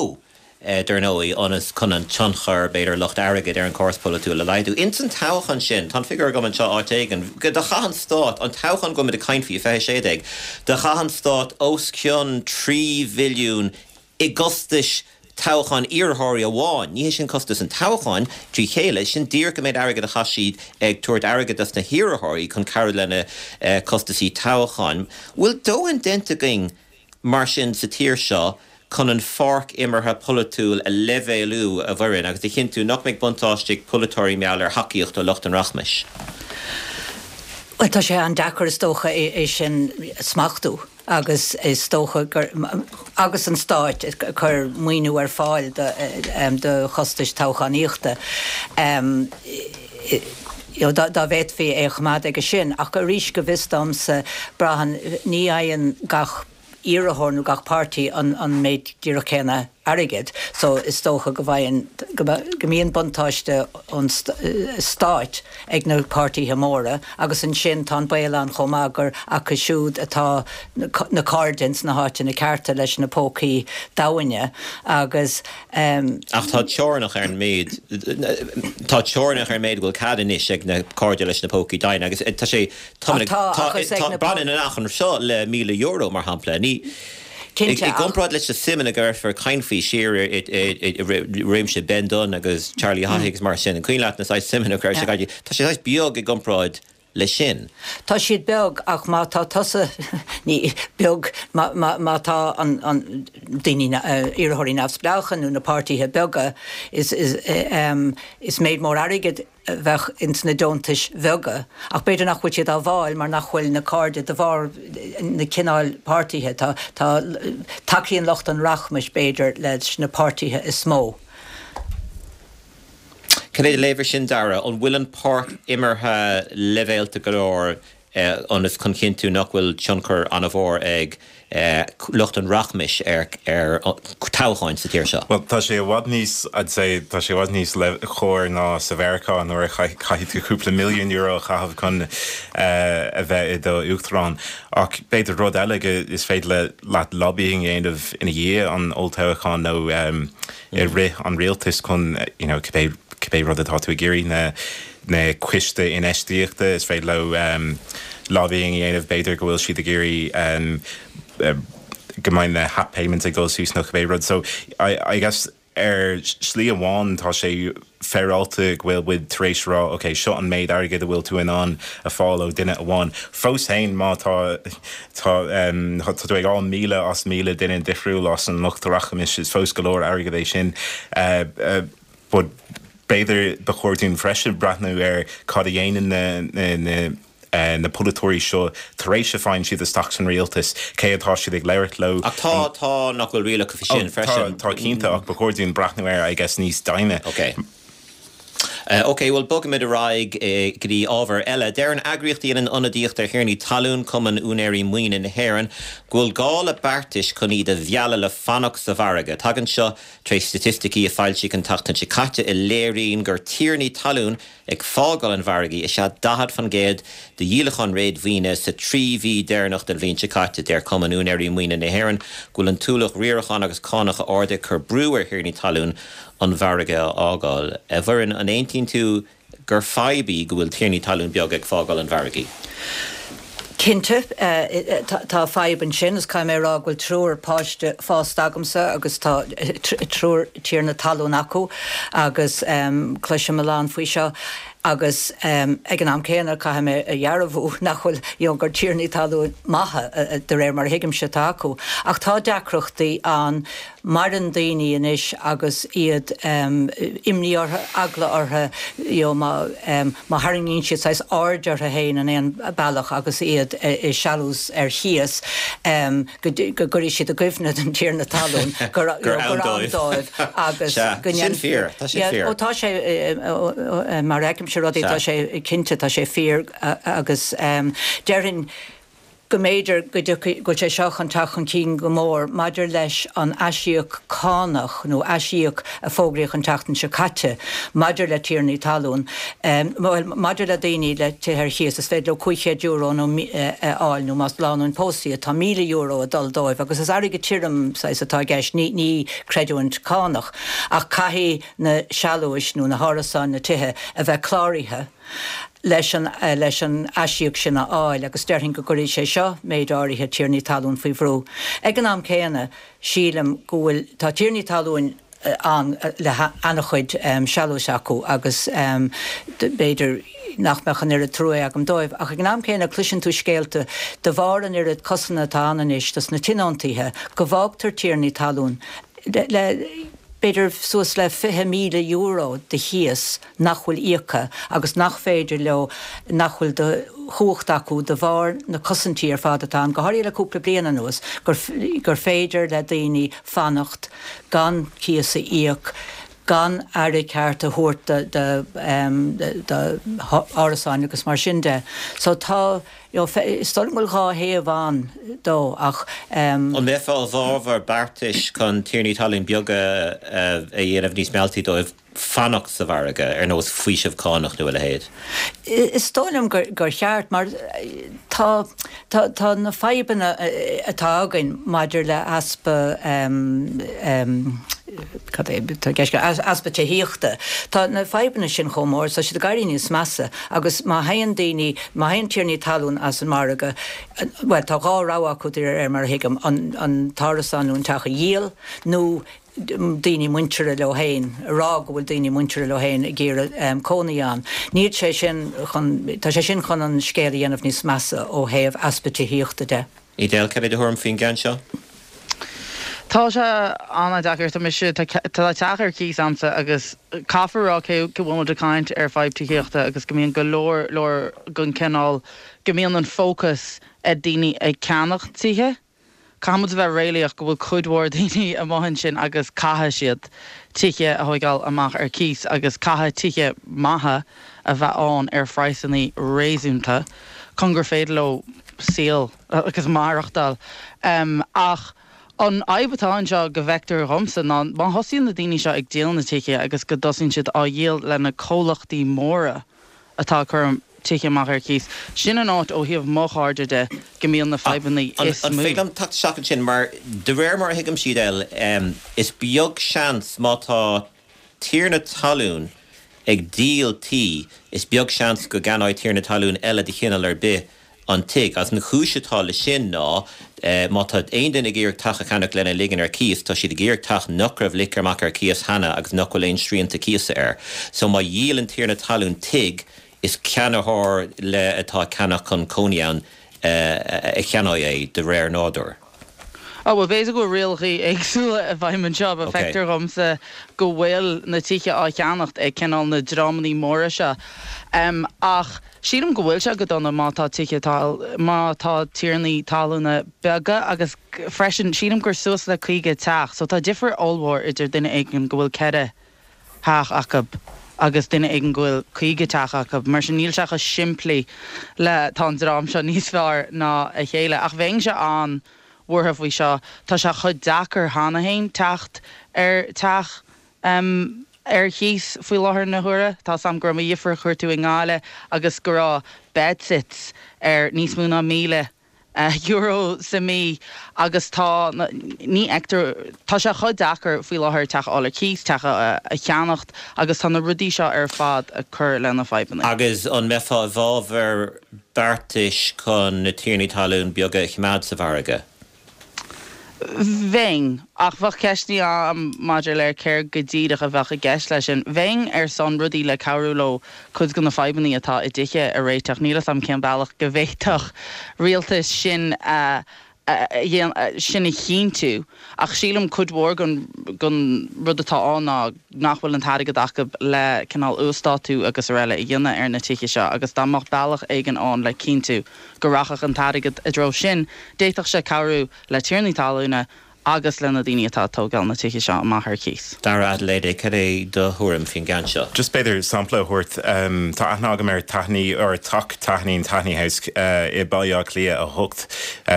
dar ndóigh, ionas chun an tionchar, b'fhéidir, lucht airgid ar an chóras polaitiúil a laghdú. Ins an toghchán sin, tá an figiúr agam anseo áit éigin, do chaith an stát, an toghchán go bhfuil muid ag caint faoi, 2016, do chaith an stát os cionn 3 bhilliún i gcostais toghcháin iarrthóirí amháin. Ní hé sin costas an toghcháin trí chéile, sin díreach an méid airgid a chaith siad ag tabhairt airgid dos na hiarrthóirí chun cabhrú lena costaisí toghcháin. Bhfuil dóthain déanta againn mar sin sa tír seo chun an pháirc imeartha polaitiúil a leibhéalú, a Mhuireann, agus a chinntiú nach mbeidh buntáiste ag polaiteoirí mar gheall ar thacaíocht ó lucht an rachmais? Bhuel, tá sé an-deacair is dócha é sin a smachtú. agus is dócha gur, agus an Stáit ag cur maoiniú ar fáil do chostais toghchánaíochta, dá bhféadfaí é a choimeád aige sin. Ach arís, go bhfios domsa, braitheann, ní fhaigheann gach iarrthóir nó gach páirtí an méid díreach céanna airgid so is dócha go bhfaigheann, go mbíonn buntáiste ón stáit ag na páirtithe móra agus ansin tá an baol ann chomh maith gur acu siúd atá na cairde ins na háiteanna cearta leis na pócaí domhaine agus. Ach tá teorainneacha ar an méid, tá teorainneacha ar an méid a bhfuil cead anois ag na cairde leis na pócaí domhaine agus tá sé, tá, tá, baineann an achar seo le €1,000 mar shampla, ní. I gcomparáid leis na suimeanna go raibh ag caint faoi siar i réimse Ben Dunne agus Charlie Haughey agus mar sin, an cuimhin leat na saghas suimeanna go raibh sé ag tá sé saghas beag i gcomparáid leis sin. Tá siad beag ach má tá tusa, ní, beag, má, má, má tá an, an, daoine, iarrthóirí neamhspleácha nó na páirtithe beaga, is, is, is méid mór airgid a bheadh ins na deontais bheaga, ach b'fhéidir nach bhfuil siad á bhfáil mar nach bhfuil na cairde, de bharr na cineáil páirtithe. Tá, tá, tacaíonn lucht an rachmais, b'fhéidir, leis na páirtithe is mó. Cad é do léamh ar sin, Dara? An bhfuil an páirc imeartha leibhéalta go leor ionas chun chinntiú nach bhfuil tionchar an-mhór ag lucht an rachmais ar toghcháin sa tír seo. Bhuel, tá sé i bhfad níos, I'd say, tá sé i bhfad níos cóir ná sa Mheiriceá nuair a chaithfidh tú cúpla milliún euro a chaitheamh chun a bheith i do uachtarán. Ach b'fhéidir rud eile go is féidir leat lobbying a dhéanamh ina dhiaidh an olltoghcháin nó i rith an rialtais chun, you know, cibé, cibé rud atá tú ag iarraidh, na, na coiste infheistíochta, is féidir leo lobbying a dhéanamh, b'fhéidir go bhfuil siad ag iarraidh go mbeidh na HAP payments ag dul suas nó cibé rud. So I, I guess ar shlí amháin tá sé féaráilte go bhfuil muid tar éis rá ok, seo an méid airgid a bhfuil tú in ann a fáil ó duine amháin. Fós féin má tá tá tá tú ag fháil 1,000 as 1,000 duine difriúil as an lucht rachmais, is fós go leor airgid é sin. But b'fhéidir ba chóir dúinn freisin breathnú ar cad a dhéanann na na polaiteoirí seo tar éis a faigheann siad isteach san rialtas, cé atá siad ag labhairt leo. Ach tá, tá, nach bhfuil rialacha faoi sin freisin? Tá, tá cinnte, ach ba chóir dúinn breathnú air, I guess, níos doimhne. Ok. Ok, bhuel bogfaimid ar aghaidh go dtí ábhar eile. Deir an eagraíocht a dhéanann ionadaíocht ar thiarnaí talún, Cumann Úinéirí Maoine na hÉireann, go bhfuil gá le beartais chun iad a mhealladh le fanacht sa mhargadh. Tagann seo tar éis staitisticí a foilsíodh an tseachtain seo caite a léiríonn gur tiarnaí talún ag fágáil an mhargaidh is ea 40% de dhíolacháin réadmhaoine sa trí mhí deireanach den bhliain seo caite. Deir Cumann Úinéirí Maoine na hÉireann go bhfuil an t-ualach riaracháin agus cánacha arda ag cur brú ar thiarnaí talún an mhargadh a fhágáil. A Mhuireann, an aontaíonn tú gur fadhb í go bhfuil tiarnaí talún beaga ag fágáil an mhargaidh? Cinnte, tá fadhb ansin is caithfidh mé a rá go bhfuil triúr páiste fásta agamsa agus tá triúr tiarna talún acu agus cloisim a lán faoi seo agus ag an am céanna caithfidh mé a dhearbhú nach bhfuil, you know, gur tiarnaí talún maithe de réir mar a thuigimse atá acu. Ach tá deacrachtaí ann Maireann daoine anois agus iad, imní orthu, eagla orthu, you know, má, má tharraingíonn siad saghas aird orthu féin in aon bealach agus iad i sealús ar chíos, go, go gcuirfidh siad i gcuimhne don tiarna talún gur, you know, gur ann dóibh agus go Sea, sin fíor, tá sin fíor. Ó tá sé, mar a fheicimse rudaí, tá sé cinnte, tá sé fíor agus déarfainn, go mb'fhéidir go dtiocfaidh, go bhfuil sé seo chun teacht chun cinn go mór maidir leis an aisíoc cánach nó aisíoc a fógraíodh an tseachtain seo caite maidir le tiarnaí talún, bhuel, maidir le daoine le tithe ar chíos, is féidir leo €500 nó a fháil nó más lánúin pósta iad, tá €1,000 ag dul dóibh agus is airgead tirim saghas atá i gceist, ní, ní creidiúint cánach ach caithfidh na sealúis nó na hárasáin, na tithe a bheith cláraithe. leis an leis an aisíoc sin a fháil agus déarfainn go gcuirfidh sé seo méid áirithe tiarnaí talún faoi bhrú. Ag an am céanna, sílim go bhfuil, tá tiarnaí talún ann le han-chuid sealúis acu agus b'fhéidir nach mbeadh an oiread trua agam dóibh ach ag an am céanna cloiseann tú scéalta de bharr an oiread cosanta atá ann anois dos na tionóntaithe go bhfágtar tiarnaí talún le b'fhéidir suas le €20,000 de chíos nach bhfuil íoctha agus nach féidir leo, nach bhfuil de chumhacht acu de bharr na cosaintí ar fad atá ann, go háirithe le cúpla bliain anuas, gur, gur féidir le daoine fanacht gan cíos a íoc, gan aire ceart a thabhairt do, do, do árasáin agus mar sin de. So tá, you know, is dóigh liom go bhfuil dhá thaobh ann dó ach. An mbeifeá i bhfabhar beartais chun tiarnaí talún beaga a dhéanamh níos mealltaí dóibh? fanacht sa mhargadh, ar nós faoiseamh cánach nó a leithéid? Is dóigh liom gur cheart, mar tá, tá, tá na fadhbanna atá againn maidir le heaspa, cad é atá i gceist, easpa tithíochta, tá na fadhbanna sin chomh mór, tá siad ag éirí níos measa agus má théann daoine, má théann tiarnaí talún as an margadh, bhuel, tá dhá rogha acu de réir mar a thuigim, an, an t-árasán nó an teach a dhíol nó daoine muinteartha leo féin, a rá go bhfuil daoine muinteartha leo féin ag iarraidh cónaí ann. Níl sé sin chun, tá sé sin chun an scéal a dhéanamh níos measa ó thaobh easpa tithíochta de. Edel, cad é do thuairim faoin gceann seo? Tá sé an-deacair. Tá mise, tá teach ar cíos a'msa agus caithfear a rá cé go bhfuil muid ag caint ar fadhb tithíochta agus go mbíonn go leor leor den cineál, go mbíonn an fócas ar daoine ag ceannach tithe. Caithfidh muid a bheith réalaíoch go bhfuil cuid mhór daoine amuigh ansin agus caithfidh siad tithe a thóigeáil amach ar cíos agus caithfidh tithe maithe a bheith ann ar phraghsanna réasúnta chun gur féidir leo saol agus maireachtáil. Ach an fhadhb atá anseo go bhfeictear dhomsa ná má thosaíonn na daoine seo ag díol na tithe agus go dtosaíonn siad á dhíol le na comhlachtaí móra, atá ag cur tithe amach ar cíos. Sin an áit, ó thaobh mo chairde de, go mbíonn na fadhbanna is mó. An féidir liom teacht isteach ansin? Mar de réir mar a thuigimse, Edel, is beag seans má tá tiarna talún ag díol tí, is beag seans go gceannóidh tiarna talún eile de chineál ar bith an tigh. Agus an chúis atá leis sin ná má tá aon duine ag iarraidh teach a cheannach lena ligean ar cíos, tá siad ag iarraidh teach nach raibh ligthe amach ar cíos cheana agus nach bhfuil aon srianta cíosa air. So má dhíolann tiarna talún tigh, is ceannaitheoir le atá ag ceannach chun cónaí ann a cheannóidh é, de réir nádúir. Ó, bhuel, b'fhéidir go bhfuil rialacha éagsúla i bhfeidhm anseo, but feictear dhomsa go bhfuil na tithe á cheannacht ag cineál na dreamannaí móra seo. Ach sílim go bhfuil sé go dona má tá tithe, má tá tiarnaí talúna beaga agus freisin sílim gur suas le 50 teach, so tá difear ollmhór idir duine éigin go bhfuil ceithre theach acu. agus duine éigin go bhfuil 50 teach acu. Mar sin níl sé chomh simplí le tá an dream seo níos fearr ná a chéile. Ach bheinnse an-bhuartha faoi seo. Tá sé chomh deacair cheana féin teacht ar teach ar chíos faoi láthair na huaire. Tá 's a'm go raibh mo dheirfiúr a chuartú i nGaillimh agus go raibh bedsits ar níos mó ná 1,000 euro sa mí agus tá, ní fheictear, tá sé chomh deacair faoi láthair teach a fháil ar cíos, teach a cheannacht agus tá na rudaí seo ar fad ag cur le na fadhbanna. Agus an mbeifeá i bhfabhar beartais chun na tiarnaí talún beaga a choimeád sa mhargadh? Bheinn, ach bheadh ceisteanna agam maidir le céard go díreach a bheadh i gceist leis sin. Bheinn ar son rudaí le cabhrú leo cuid de na fadhbanna atá i dtithe a réiteach. Níl 'fhios a'm cén bealach go bhféadfadh rialtas sin a sin a chinntiú, ach sílim cuid mhór den rud atá ann ná nach bhfuil an t-airgead acu le cineál uasdátú agus araile a dhéanamh ar na tithe seo agus dá mbeadh bealach éigin ann le cinntiú go rachadh an t-airgead i dtreo sin, d'fhéadfadh sé cabhrú le tiarnaí talúna agus le na daoine atá ag tógáil na tithe seo amach ar cíos. Dara Adeleye, cad é do thuairim faoin gceann seo? Just b'fhéidir sampla a thabhairt. Tá aithne agam ar Taithní, or Teach Taithní, Taithní House, i Baile Átha Cliath 8.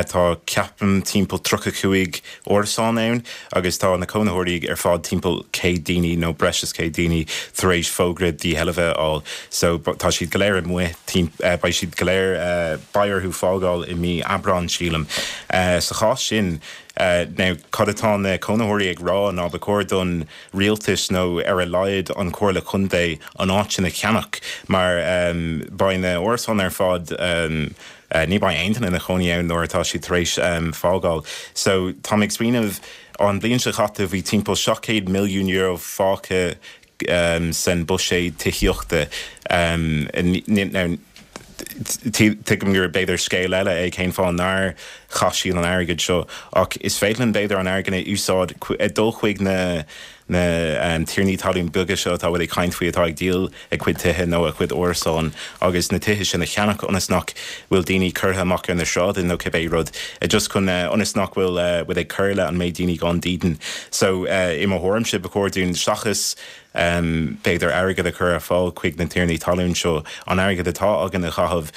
Tá, ceapaim, timpeall 35 árasán ann agus tá na cónaitheoirí ar fad, timpeall 100 daoine nó breis is 100 daoine, tar éis fógra dísheilbhe a fháil. So tá siad go léir amuigh, beidh siad go léir, beidh orthu fágáil i mí Aibreán, sílim. Sa chás sin, now cad atá na cónaitheoirí ag rá ná ba chóir don rialtas nó ar a laghad an Chomhairle Contae an áit sin a cheannach mar beidh na árasáin ar fad, ní beidh aon duine ina chónaí ann nuair atá siad tar éis fágáil. So táim ag smaoineamh, an bhliain seo chaite bhí timpeall €700 milliún fágtha san buiséad tithíochta. Now, tuigim gur b'fhéidir scéal eile é cén fáth nár chaith siad an airgead seo ach is féidir linn b'fhéidir an airgead a úsáid dul chuig na na tiarnaí talún beaga seo atá bhfuil ag caint faoi atá ag díol a gcuid tithe nó a gcuid árasán agus na tithe sin a cheannach ionas nach bhfuil daoine curtha amach ar na sráideanna nó cibé rud just chun ionas nach bhfuil bhfuil ag cur le an méid daoine gan dídean. So i mo thuairimse ba chóir dúinn seachas b'fhéidir airgead a chur ar fáil chuig na tiarnaí talún seo an airgead atá againn a chaitheamh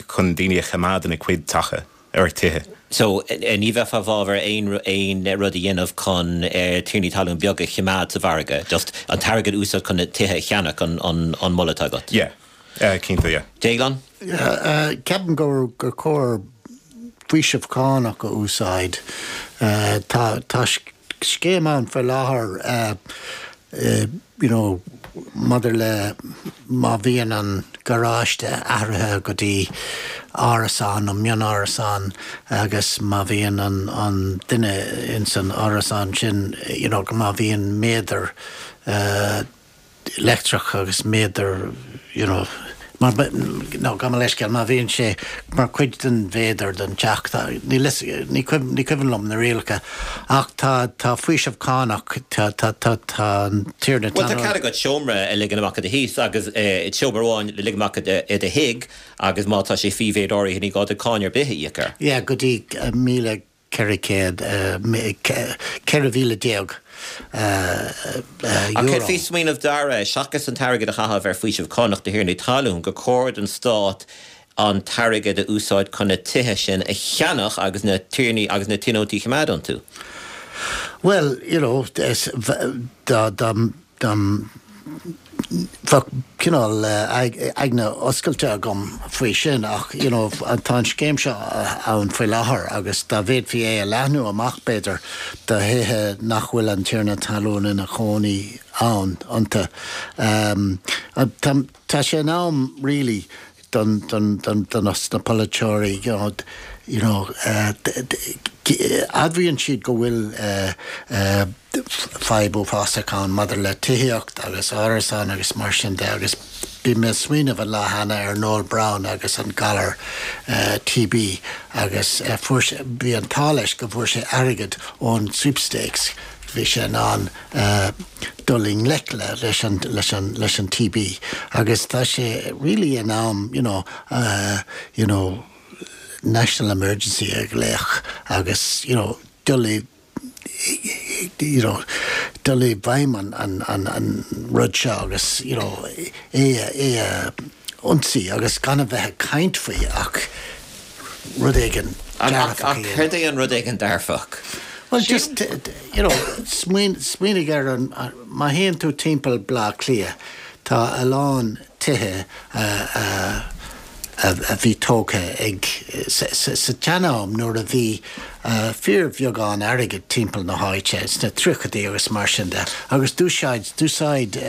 chun daoine a choimeád ina gcuid teacha. or tithe. So, ní bheifeá i bhfabhar aon aon rud a dhéanamh chun tiarnaí talún beaga a choimeád sa mhargadh, just an t-airgead a úsáid chun na tithe a cheannach an an moladh atá agat? Yeah. Cinnte, yeah. Déaglán? Yeah, ceapaim gur gur chóir faoiseamh cánach a úsáid. Tá tá scéim ann faoi láthair you know maidir le má bhíonn an garáiste athraithe go dtí árasán nó mion-árasán agus má bhíonn an an duine ins an árasán sin you know má bhíonn méadar eh leictreach agus méadar you know mar nó gabh mo leithscéal má bhíonn sé mar chuid den mhéadar den teach tá níl fhios ní cuimhin ní cuimhin liom na rialacha ach tá tá faoiseamh cánach tá tá tá tá an tiarna Bhuel tá cead agat seomra a ligean amach i do thigh agus seomra amháin a ligean amach i do thigh agus má tá sé faoi mhéid áirithe ní gá duit cáin ar bith a íoc air. Yeah go dtí 1,000 €400, €14,000. Ach céard faoi smaoineamh Dara, seachas an t-airgead a chaitheamh ar faoiseamh cánach do thiarnaí talún, gur chóir don stát an t-airgead a úsáid chun na tithe sin a cheannach agus na tiarnaí agus na tionóntaí a choimeád iontu? Bhuel, you know, dá, dá, dá, Bheadh cineál aigne oscailte agam faoi sin ach you know tá an scéim seo ann faoi láthair agus dá bhféadfaí é a leathnú amach b'fhéidir do thithe nach bhfuil an tiarna talún ina chónaí ann iontu. Tá sé in am really don don don do na polaiteoirí you know you know admhaíonn siad go bhfuil fadhb uafásach ann maidir le tithíocht agus árasáin agus mar sin de agus bhí mé ag smaoineamh an lá cheana ar Noel Browne agus an galar TB agus fuair sé bhí an t-ádh leis go bhfuair sé airgead ón sweepstakes bhí sé in ann dul i ngleic le leis an leis an leis an TB agus tá sé really in am you know you know national emergency a ghlaoch agus you know dul i. you know, dul i bhfeidhm an, an, an, an rud seo agus, you know, é a, é a ionsaí agus gan a bheith ag caint faoi ach rud éigin dearfach a dhéanamh. Ach céard é an rud éigin dearfach? Well just, you know, smaoinigh ar an, má théann tú timpeall Bleá Cliath, tá a lán tithe a a bhí tógtha ag, sa tsean-am nuair a bhí fíorbheagán airgid timpeall na háite, sna tríochaidí agus mar sin de, agus d'úsáid, d'úsáid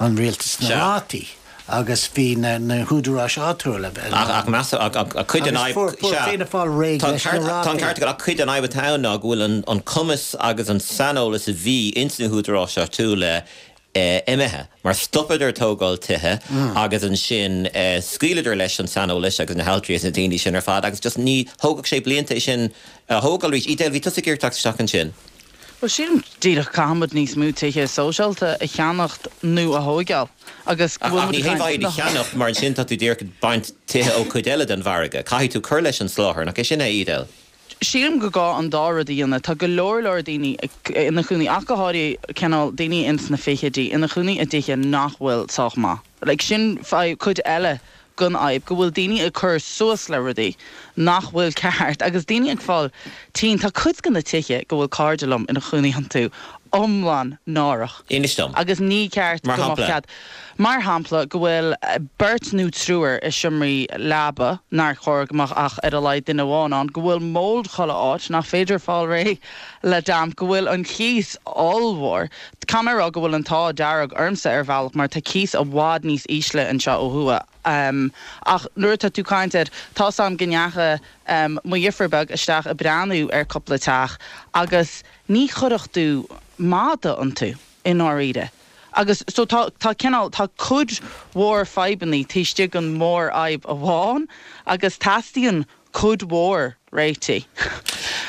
an rialtas na rátaí agus bhí na húdaráis áitiúla in ann. Ach meas, ach cuid den fhadhb, Agus fuair Fianna Fáil réidh leis na rátaí. Tá an ceart agat, ach cuid den fhadhb atá ann ná go bhfuil an cumas agus an saineolas a bhí ins na húdaráis áitiúla imithe, mar stopadar tógáil tithe agus ansin scaoileadar leis an saineolas agus na haltraí agus na daoine sin ar fad agus just ní thógfadh sé blianta é sin a thógáil arís. Edel, bhí tusa ag iarraidh teacht isteach ansin. Bhuel, sílim díreach caithfimid níos mó tithe sóisialta a cheannacht nó a thóigeáil agus go bhfuil muid ag caint. Ach ní haon mhaith iad a cheannacht mar ansin tá tú díreach ag baint tithe ó chuid eile den mhargadh. Caithfidh tú cur leis an soláthar, nach é sin é, Edel? Sílim gur gá an dá rud a dhéanamh. Tá go leor leor daoine ina chónaí, ach go háirithe cineál daoine ins na fichidí, ina chónaí i dtithe nach bhfuil sách maith. Like sin fadhb, cuid eile den fhadhb, go bhfuil daoine ag cur suas le rudaí nach bhfuil ceart agus daoine ag fáil tinn. Tá cuid de na tithe go bhfuil cairde liom ina chónaí iontu iomlán náireach. Inis dom. Agus ní ceart go mbeadh cead. Mar shampla, go bhfuil beirt nó triúr i seomraí leaba, nár chóir go mbeadh ach ar a laghad duine amháin ann, go bhfuil mold chuile áit, nach féidir fáil réidh le damp, go bhfuil an cíos ollmhór. Caithfidh mé a rá go bhfuil an t-ádh dearg ormsa ar bhealach mar tá cíos i bhfad níos ísle anseo ó thuaidh. Ach nuair atá tú ag caint ar, tá's a'm go ndeachaigh mo dheirfiúr beag isteach ag breathnú ar cúpla teach agus ní chuirfeadh tú mada iontu i ndáiríre. Agus so tá, tá cineál, tá cuid mhór fadhbannaí taobh istigh den mhórfhadhb amháin agus teastaíonn cuid mhór réitigh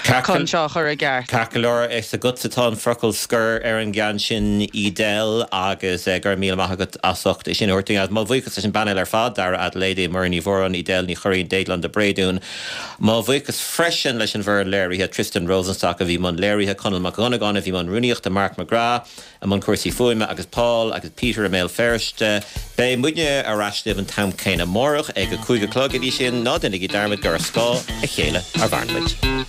chun seo a chur i gceart. Ceart go leor, is agatsa atá an focal scoir ar an gceann sin, Edel, agus go raibh míle maith agat as ucht é sin a thabhairt dúinn. Agus mo bhuíochas leis an bpainéal ar fad, Dara Adeleye, Muireann Ní Mhóráin, Edel Ní Churraoin, Déaglán de Bréadún. Mo bhuíochas freisin leis an bhfoireann léirithe, Tristan Rosenstock a bhí i mbun léirithe, Conall Mac Dhonnagáin a bhí i mbun rúnaíochta, Mark McGrath, i mbun cúrsaí fuaime agus Paul agus Peter i mBéal Feirste. Beidh muidne ar ais libh an t-am céanna amárach ag a 5 a chlog. Go dtí sin, ná déanaigí dearmad gur ar scáth a chéile a mhaireann muid.